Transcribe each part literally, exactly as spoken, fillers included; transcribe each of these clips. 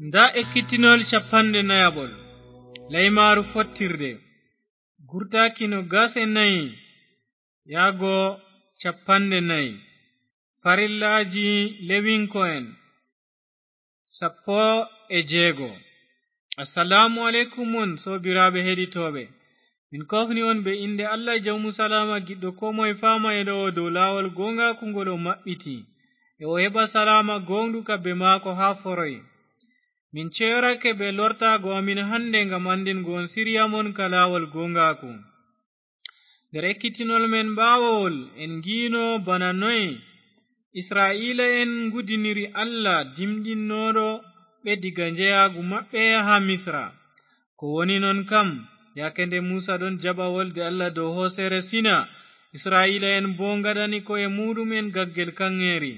Ndaa ekkitinol cappanɗe nayaɓol, laymaaru fottirde, gurtaaki no gase nayi yaago cappanɗe nayi. Farillaaji Lewiŋko'en sappo e jeego. Assalaamu aleykum on, soobiraaɓe heɗitooɓe. Min koofni on bee innde Allah jawmu salaama, giɗɗo koo moye faama e ɗo'o dow laawol gooŋgaaku ngol o maɓɓiti, e o heɓa salaama gooŋɗuka bee maako haa foroy. Min ceyorake bee lortaago amin hannde ngam anndingo on sirya mon ka laawol gooŋgaaku. Nder ekkitinol men ɓaawowol, en ngi'no bana noy Isra'iila'en ngudiniri Allah dimɗinnooɗo ɓe diga njeyaagu maɓɓe haa Misra. Ko woni non kam, yaake nde Muusa ɗon jaɓa wolde Allah dow hooseere Sina, Isra'iila'en boo ngaɗani ko'e muuɗum'en gaggel kaŋŋeeri,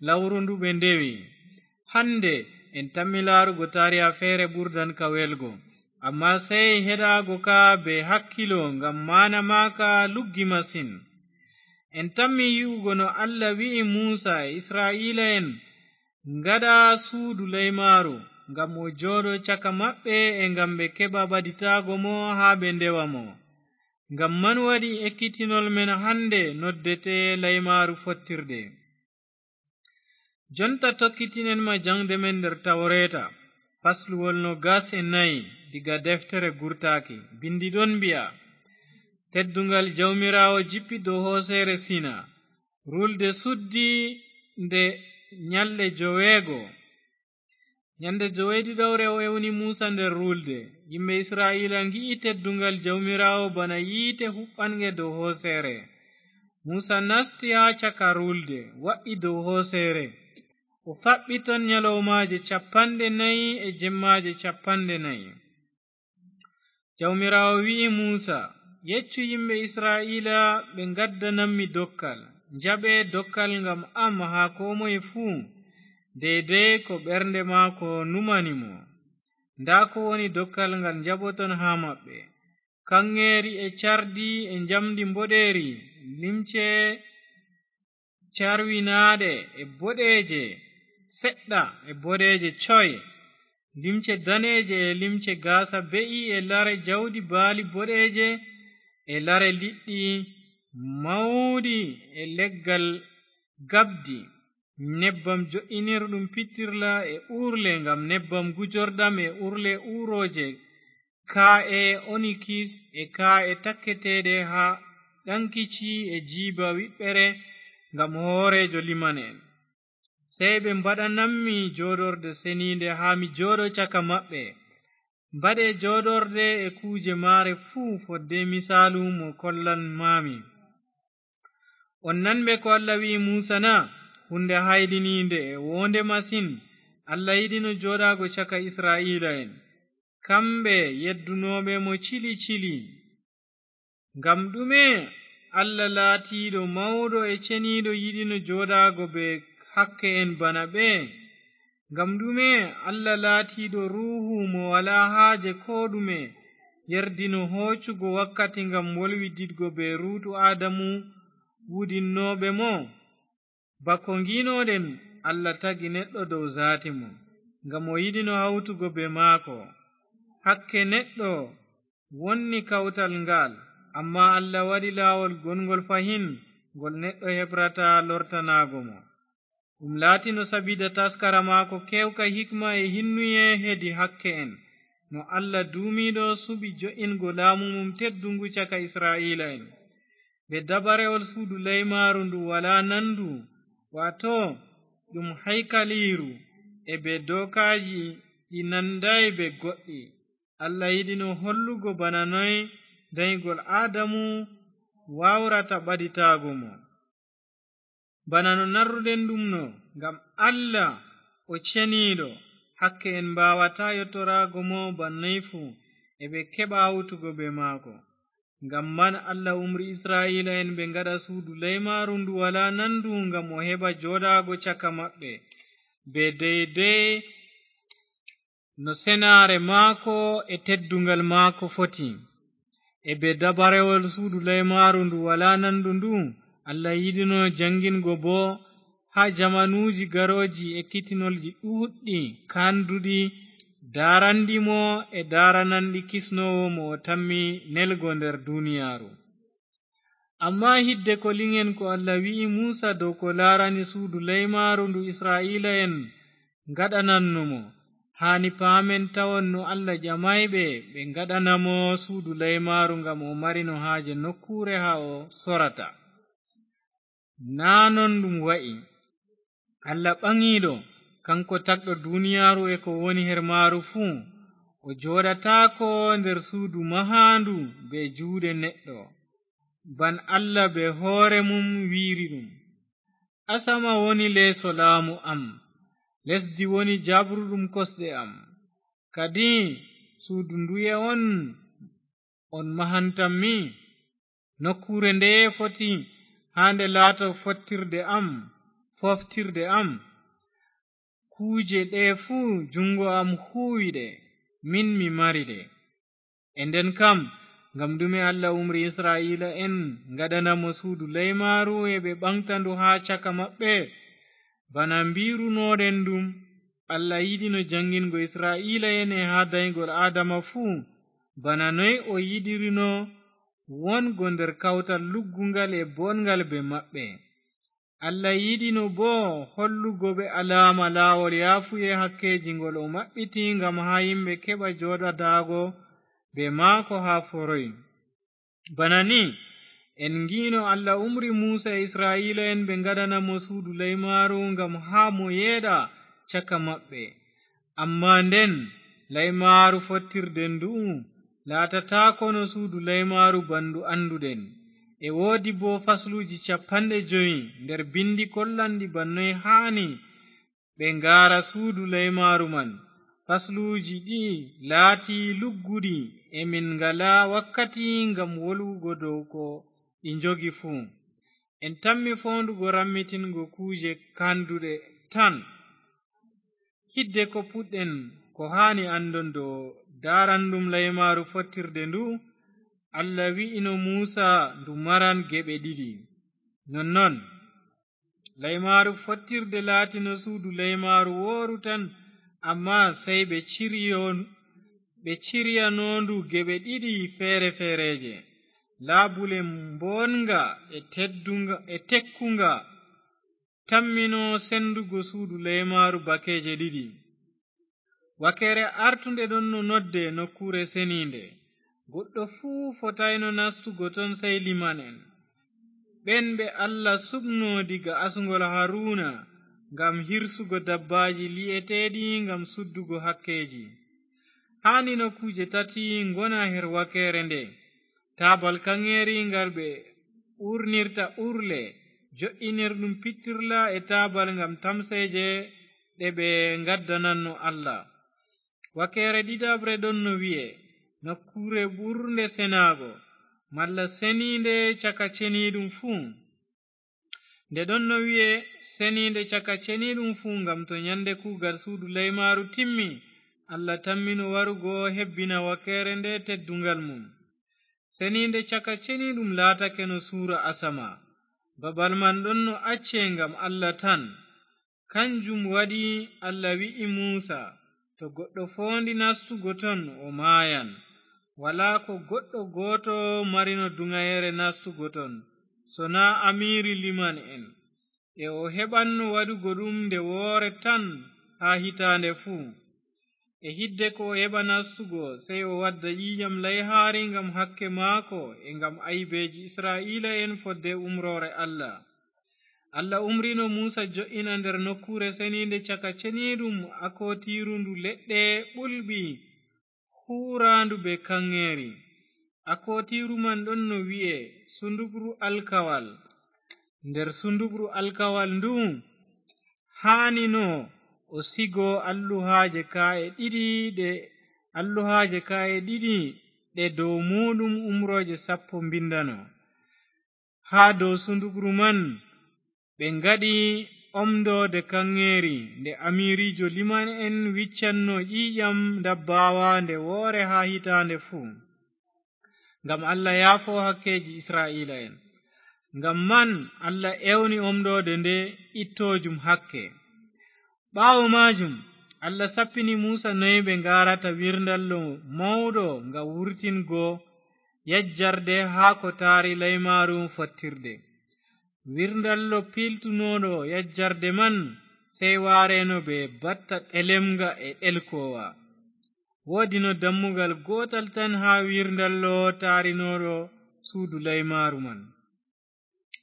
lawru ndu ɓe ndewi. Hannde en tammi laarugo taariha feere ɓurdan ka welgo, ammaa sey heɗaago ka bee hakkilo, ngam maana maaka luggi masin. En tammi yi'ugo no Allah wi'i Muusa e Isra'iila'en ngaɗa suudu laymaaru, ngam o jooɗo caka maɓɓe e ngam ɓe keɓa ɓaditaago mo haa ɓe ndewa mo. Ngam man waɗi ekkitinol men hannde noddete laymaaru fottirde. Jonta tokkitinen ma jaŋde men nder Tawreeta, fasluwol noogas e nayi diga deftere Gurtaaki. Binndi ɗon mbi'a, tedduŋgal Jawmiraawo jippi dow hooseere Sina. Ruulde suddi nde nyalɗe joweego. Nyande joweeɗiɗawre o ewni Muusa nder ruulde. Yimɓe Isra'iila ngi'i tedduŋgal Jawmiraawo bana yiite huɓɓanŋge dow hooseere. Muusa nasti haa caka ruulde, wa'i dow hooseere. O faɓɓi ton nyalawmaaje cappanɗe nayi e jemmaaje cappanɗe nayi. Jawmiraawo wi'i Muusa, yeccu yimɓe Isra'iila ɓe ngaddanammi dokkal. Njaɓe dokkal ngam am haa koo moye fuu, deydey ko ɓernde maako numani mo. Ndaa ko woni dokkal ngal njaɓoton haa maɓɓe. Kaŋŋeeri e cardi e njamndi mboɗeeri, limce carwinaaɗe e boɗeeje seɗɗa e boɗeeje coy, limce daneeje e limce gaasa be'i e lare jawdi baali boɗeeje e lare liɗɗi mawɗi e leggal gabdi, nebbam jo'inirɗum pittirla e uurle ngam nebbam gujorɗam e uurle uurooje, kaa'e onikis e kaa'e takketeeɗe haa ɗaŋkici e jiiba wiɓɓere ngam hooreejo liman'en. Sey ɓe mbaɗanammi jooɗorde seniinde haa mi jooɗo caka maɓɓe. Mbaɗe jooɗorde e kuuje maare fuu fodde misaalu mo kollan maami. On nanɓe ko Allah wi'i Muusa na? Huunde hayɗiniinde e woonde masin. Allah yiɗino jooɗaago caka Isra'iila'en, kamɓe yeddunooɓe mo cili cili. Ngam ɗume Allah laatiiɗo mawɗo e ceniiɗo yiɗino jooɗaago bee hakke'en bana ɓe? Ngam ɗume Allah laatiiɗo Ruuhu mo walaa haaje koo ɗume yerdino hoocugo wakkati ngam wolwididgo bee ruutu Aadamu wudinnooɓe mo? Bako ngi'noɗen, Allah tagi neɗɗo dow zaati mum, ngam o yiɗino hawtugo bee maako. Hakke neɗɗo wonni kawtal ngaal, ammaa Allah waɗi laawol gonŋgol fahin, ngol neɗɗo heɓrata lortanaago mo. Ɗum laatino sabiida taskara maako keewka hikma e hinnuye hedi hakke'en, no Allah duumiiɗo suɓi jo'ingo laamu mum tedduŋgu caka Isra'iila'en. Bee dabarewol suudu laymaaru ndu walaa nandu, waato ɗum haykaliiru, e bee dookaaji ɗi nandaay bee goɗɗi. Allah yiɗino hollugo bana noy danygol Aadamu waawrata ɓaditaago mo. Bana no narruɗen ɗum no, ngam Allah o ceniiɗo, hakke en mbaawataa yottoraago mo bannoy fuu, e ɓe keɓa hawtugo bee maako. Ngam man Allah umri Isra'iila'en ɓe ngaɗa suudu laymaaru ndu walaa nandu ngam o heɓa jooɗaago caka maɓɓe, bee deydey no senaare maako e tedduŋgal maako foti. E bee dabarewol suudu laymaaru ndu walaa nandu ndu, Allah yiɗino jaŋgingo boo haa jamanuuji garooji ekkitinolji ɗuuɗɗi kaanduɗi daarandi mo e daarananɗi kisnoowo mo o tammi nelgo nder duniyaaru. Ammaa hidde ko liŋen ko Allah wi'i Muusa dow ko laarani suudu laymaaru ndu Isra'iila'en ngaɗananno mo, haani paamen tawon no Allah ƴamaay ɓe ɓe ngaɗana mo suudu laymaaru ngam o marino haaje nokkuure haa o sorata. Naa non ɗum wa'i. Allah ɓaŋiiɗo, kanko tagɗo duniyaaru e ko woni her maaru fuu, o jooɗataako nder suudu mahaandu bee juuɗe neɗɗo, ban Allah bee hoore mum wi'iri ɗum. Asama woni leeso laamu am, lesdi woni jabruɗum kosɗe am. Kadi suudu nduye on on mahantammi? Nokkuure ndeye foti haa nde laato fottirde am, foftirde am? Kuuje ɗe fuu juŋngo am huuwi ɗe, min mi mari ɗe. E nden kam, ngam ɗume Allah umri Isra'iila'en ngaɗana mo suudu laymaaru e ɓe ɓaŋgta ndu haa caka maɓɓe? Bana mbi'runooɗen ɗum, Allah yiɗino jaŋngingo Isra'iila'en e haa daygol Aadama fuu, bana noy o yiɗirino wongo nder kawtal lugguŋgal e booɗŋgal bee maɓɓe. Allah yiɗino boo hollugo ɓe alaama laawol yaafuye hakkeeji ngol o maɓɓiti ngam haa yimɓe keɓa jooɗadaago bee maako haa foroy. Bana ni, en ngi'no Allah umri Muusa e Isra'iila'en ɓe ngaɗana mo suudu laymaaru ngam haa mo yeeɗa caka maɓɓe. Ammaa nden, laymaaru fottirde ndu'u laatataako no suudu laymaaru bandu annduɗen. E woodi boo fasluuji cappanɗe jowi nder bindi kollanɗi ban noy haani ɓe ngaara suudu laymaaru man. Fasluuji ɗi'i laati lugguɗi, e min ngalaa wakkati ngam wolwugo dow ko ɗi njogi fuu. En tammi foondugo rammitingo kuuje kanduɗe tan. Hidde ko puɗɗen, ko haani anndon dow daarandum laymaaru fottirde ndu, Allah wi'ino Muusa ndu maran geɓe ɗiɗi. Nonnon, laymaaru fottirde laatino suudu laymaaru wooru tan, ammaa sey ɓe ciryo-, ɓe ciryanoondu geɓe ɗiɗi feere-feereeje. Laabule mbooɗŋga e teddunga, e tekkunga tammino sendugo suudu laymaaru bakeeje ɗiɗi. Wakeere artunde ɗon no nodde nokkuure seniinde. Goɗɗo fuu fotayno nastugo ton sey liman'en, ɓen ɓe Allah suɓno diga asŋgol Haruna ngam hirsugo dabbaaji lii'eteeɗi ngam suddugo hakkeeji. Haanino kuuje tati ngona her wakeere nde. Taabal kaŋŋeeri ngal ɓe uurnirta uurle, jo'inirɗum pittirla e taabal ngam tamseeje ɗe ɓe ngaddananno Allah. Wakeere ɗiɗaɓre ɗon no wi'e nokkuure ɓurnde senaago, malla seniinde caka ceniiɗum fuu. Nde ɗon no wi'e seniinde caka ceniiɗum fuu, ngam to nyande kuugal suudu laymaaru timmi, Allah tammino warugo hebbina wakeere nde tedduŋgal mum. Seniinde caka ceniiɗum laatake no suura asama. Babal man ɗon no acce ngam Allah tan. Kanjum waɗi Allah wi'i Muusa, "To goɗɗo foondi nastugo ton, o maayan." Walaa ko goɗɗo gooto marino duŋayeere nastugo ton, sonaa amiiri liman'en. E o heɓanno waɗugo ɗum nde woore tan haa hitaande fuu. E hidde ko o heɓa nastugo, sey o wadda ƴiiƴam layhaari ngam hakke maako e ngam aybeeji Isra'iila'en fodde umroore Allah. Allah umrino Muusa jo'ina nder nokkuure seniinde caka ceniiɗum akootiiru ndu leɗɗe ɓulɓi huuraandu bee kaŋŋeeri. Akootiiru man ɗon no wi'e sundukru alkawal. Nder sundukru alkawal ndu haanino o sigo alluhaaje kaa'e ɗiɗi ɗe, alluhaaje kaa'e ɗiɗi ɗe dow muuɗum umrooje sappo mbindano. Haa dow sundukru man ɓe ngaɗi omndoode kaŋŋeeri nde amiiriijo liman'en wiccanno ƴiiƴam ndabbaawa nde woore haa hitaande fuu, ngam Allah yaafo hakkeeji Isra'iila'en. Ngam man Allah ewni omndoode nde ittoojum hakke. Ɓaawo maajum, Allah sappini Muusa noy ɓe ngaarata wirndallo mawɗo nga wurtingo yajjarde haa ko taari laymaaru fottirde. Wirndallo piiltunooɗo yajjarde man, sey waareno bee batta ɗelemnga e ɗelkoowa. Woodino dammugal gootal tan haa wirndallo taarinooɗo suudu laymaaru man.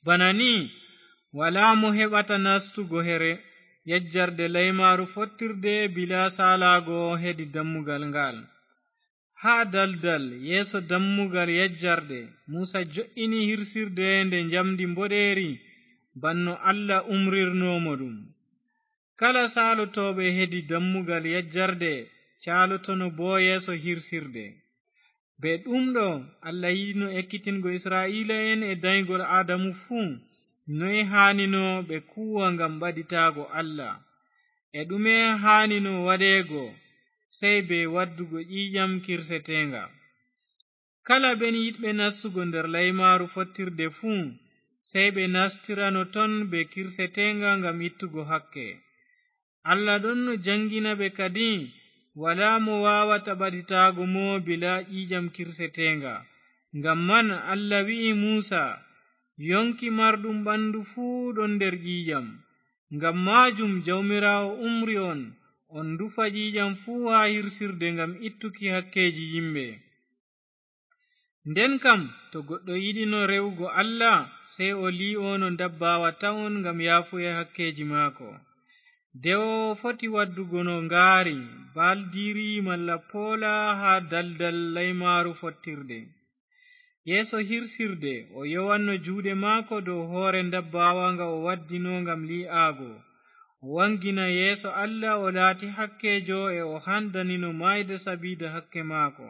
Bana ni, walaa mo heɓata nastugo here yajjarde laymaaru fottirde bilaa saalaago hedi dammugal ngal. Haa daldal yeeso dammugal yajjarde, Muusa jo'ini hirsirde nde njamndi mboɗeeri, banno Allah umrirnoo mo ɗum. Kala saalotooɓe hedi dammugal yajjarde caalotono boo yeeso hirsirde. Bee ɗum ɗo, Allah yiɗino ekkitingo Isra'iila'en e danygol Aadamu fuu, noy haanino ɓe kuuwa ngam ɓaditaago Allah, e ɗume haanino waɗeego, sey bee waddugo ƴiiƴam kirseteeŋga. Kala ɓen yiɗɓe nastugo nder laymaaru fottirde fuu, sey ɓe nastirano ton bee kirseteeŋga ngam ittugo hakke. Allah ɗonno jaŋgina ɓe kadi, walaa mo waawata ɓaditaago mo bilaa ƴiiƴam kirseteeŋga. Ngam man Allah wi'i Muusa, yonki marɗum ɓandu fuu ɗon nder ƴiiƴam. Ngam maajum Jawmiraawo umri on, on ndufa ƴiiƴam fuu haa hirsirde ngam ittuki hakkeeji yimɓe. Nden kam, to goɗɗo yiɗino re'ugo Allah, sey o lii'ono ndabbaawa tawon ngam yaafuye hakkeeji maako. Dewo foti waddugo no ngaari, baldiiri malla poola haa daldal laymaaru fottirde. Yeeso hirsirde, o yowanno juuɗe maako dow hoore ndabbaawa nga o waddino ngam lii'aago. O waŋgina yeeso Allah, o laati hakkeejo e o handanino maayde sabiida hakke maako.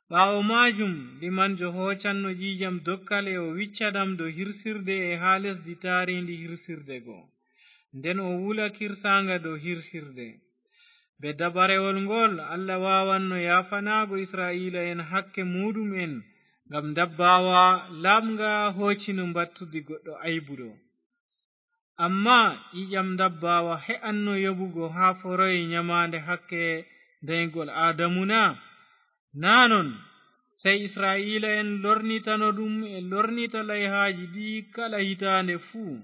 Ɓaawo maajum, limanjo hoocanno ƴiiƴam dokkal e o wicca ɗam dow hirsirde e haa lesdi taariindi hirsirde go. Nden o wula kirsaaŋga dow hirsirde. Bee dabarewol ngol, Allah waawanno yaafanaago Isra'iila'en hakke muuɗum'en ngam ndabbaawa laaɓŋga hoocino mbattudi goɗɗo aybuɗo. Ammaa ƴiiƴam ndabbaawa he'anno yoɓugo haa foroy nyamaande hakke danygol Aadamu na? Naa non, sey Isra'iila'en lornitano ɗum e lornita layhaaji ɗi'i kala hitaande fuu.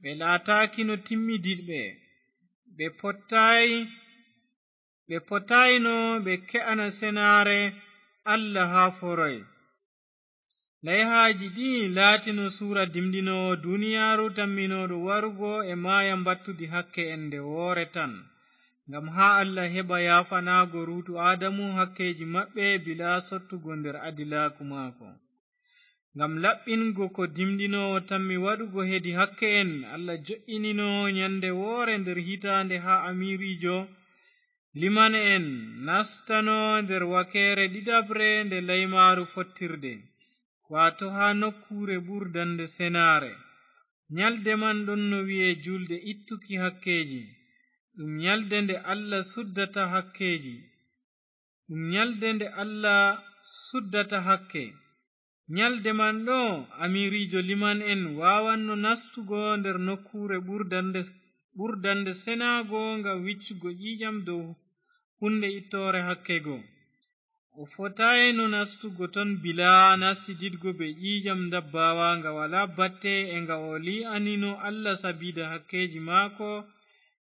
Ɓe laataakino timmidiɗɓe, ɓe pottaay, ɓe potaayno ɓe ke'ana senaare Allah haa foroy. Layhaaji ɗi'i laatino suura dimɗinoowo duniyaaru tamminooɗo warugo e maaya mbattudi hakke en nde woore tan, ngam haa Allah heɓa yaafanaago ruutu Aadamu hakkeeji maɓɓe bilaa sottugo nder adilaaku maako. Ngam laɓɓingo ko dimɗinoowo tammi waɗugo hedi hakke en, Allah jo'inino nyande woore nder hitaande haa amiiriijo liman'en nastano nder wakeere ɗiɗaɓre nde laymaaru fottirde, waato haa nokkuure ɓurdande senaare. Nyalde man ɗonno wi'e juulde ittuki hakkeeji. Ɗum nyalde nde Allah suddata hakkeeji. Ɗum nyalde nde Allah suddata hakke. Nyalde man ɗo, amiiriijo liman'en waawanno nastugo nder nokkuure ɓurdande, ɓurdande senaago ngam wiccugo ƴiiƴam dow huunde ittoore hakke go. O fotaayno nastugo ton bilaa nastididgo bee ƴiiƴam ndabbaawa nga walaa batte e nga o lii'anino Allah sabiida hakkeeji maako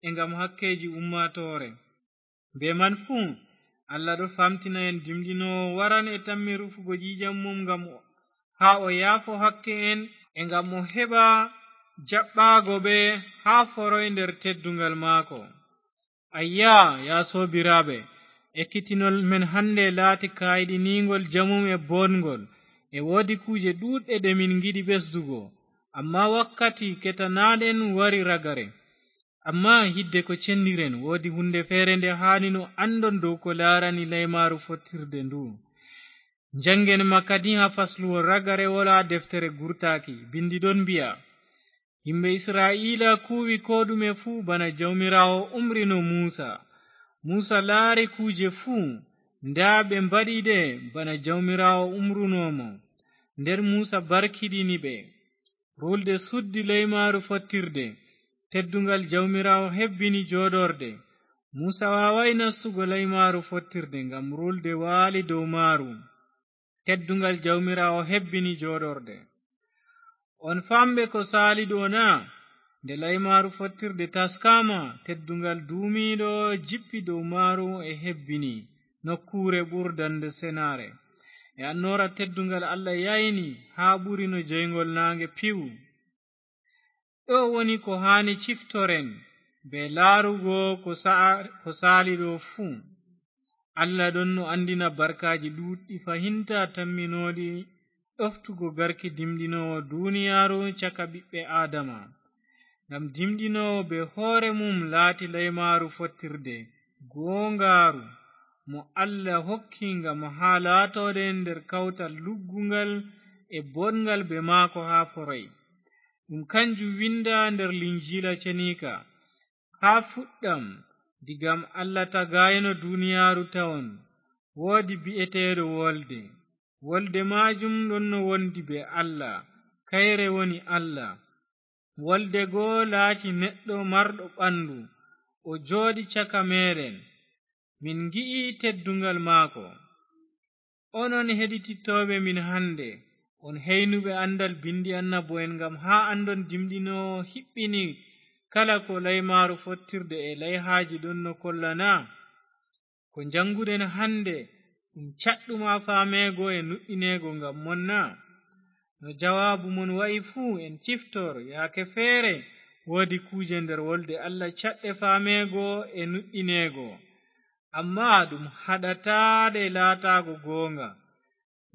e ngam hakkeeji ummaatoore. Bee man fuu, Allah ɗo famtina en dimɗinoowo waran e tammi rufugo ƴiiƴam mum ngam o, haa o yaafo hakke en e ngam o heɓa jaɓɓaago ɓe haa foroy nder tedduŋgal maako. Ayya, yaa soobiraaɓe, ekkitinol men hannde laati kayɗiniiŋgol jamum e booɗŋgol. E woodi kuuje ɗuuɗɗe ɗe min ngiɗi ɓesdugo, ammaa wakkati ketanaaɗen wari ragare. Ammaa hidde ko cendiren, woodi huunde feere nde haani no anndon dow ko laarani laymaaru fottirde ndu. Njanngen ma kadi haa fasluwol ragarewol haa deftere gurtaaki. Bindi ɗon mbi'a, yimɓe Isra'iila kuuwi koo ɗume fuu bana Jawmiraawo umrino Muusa. Muusa laari kuuje fuu, ndaa ɓe mbaɗi ɗe bana Jawmiraawo umruno mo. Nden Muusa barkiɗini ɓe. Ruulde suddi laymaaru fottirde, tedduŋgal Jawmiraawo hebbini jooɗorde. Muusa waaway nastugo laymaaru fottirde ngam ruulde waali dow maaru. Teddungal Jawmiraawo hebbini jooɗorde. On famɓe ko saali ɗo na? Nde laymaaru fottirde taskaama, teddungal duumiiɗo jippi dow maaru e hebbini nokkuure ɓurdande senaare. E annoora teddungal Allah yayni haa ɓuri no jeyngol naange piw. Ɗo woni ko haani ciftoren bee laarugo ko sa'a-, ko saali ɗo fuu. Allah ɗon no anndina barkaaji ɗuuɗɗi fahinta tamminooɗi ɗoftugo garki dimɗinoowo duniyaaru caka ɓiɓɓe Aadama. Ngam dimɗinoowo bee hoore mum laati laymaaru fottirde, gooŋgaaru, mo Allah hokki ngam haa laatooɗen nder kawtal lugguŋgal e boɗŋgal bee maako haa foroy. Ɗum kanjum winda nder Linjiila ceniika. Haa fuɗɗam, digam Allah tagaayno duniyaaru tawon, woodi bi'eteeɗo Wolde. Wolde maajum ɗon no wondi bee Allah, kayre woni Allah. Wolde go laati neɗɗo marɗo ɓandu, o jooɗi caka meeɗen. Min ngi'i teddungal maako. Onon heɗitittooɓe min hannde, on heynuɓe anndal binndi annabo'en, ngam haa anndon dimɗinoowo hiɓɓini kala ko laymaaru fottirde e layhaaji ɗon no kolla na? Ko njannguɗen hannde, ɗum caɗɗum haa faameego e nuɗɗineego ngam mon na? No jawaabu mon wa'i fuu, en ciftor, yaake feere woodi kuuje nder wolde Allah caɗɗe faameego e nuɗɗineego. Ammaa ɗum haɗataa ɗe laataago gooŋga.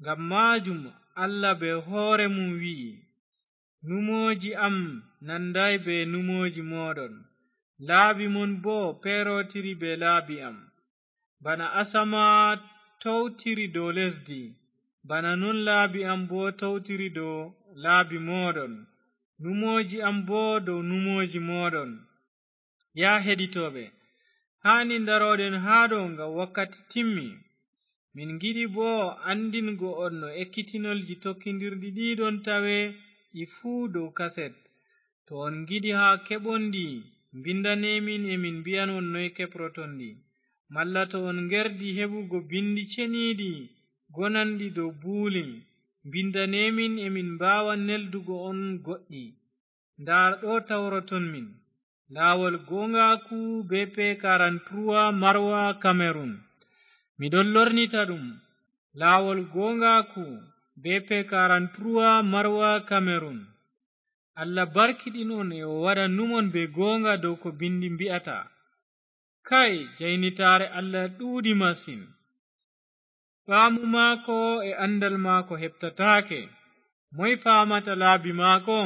Ngam maajum Allah bee hoore mum wi'i, "Numooji am nandaay bee numooji mooɗon, laabi mon boo peerootiri bee laabi am. Bana asama towtiri dow lesdi, bana non laabi am boo towtiri dow laabi mooɗon, numooji am boo dow numooji mooɗon." Yaa heɗitooɓe, haani ndarooɗen haa ɗo ngam wakkati timmi. Min ngiɗi boo anndingo on no ekkitinolji tokkindirɗi ɗi ɗon tawe ɗi fuu dow kaset. To on ngiɗi haa keɓon ɗi, mbindanee min, e min mbi'an on noy keɓroton ɗi. Malla to on ngerdi heɓugo binndi ceniiɗi gonanɗi dow buuli, mbindanee min, e min mbaawa neldugo on goɗɗi. Ndaa ɗo tawroton min, laawol gooŋgaaku B P quarante-trois Marwa Cameroun. Miɗon lornita ɗum, laawol gooŋgaaku B P quarante-trois Marwa Cameroun. Allah barkiɗin on e o waɗa numon bee gooŋga dow ko binndi mbi'ata. Kay, jaynitaare Allah ɗuuɗi masin. Faamu maako e anndal maako heɓtataake. Moy faamata laabi maako?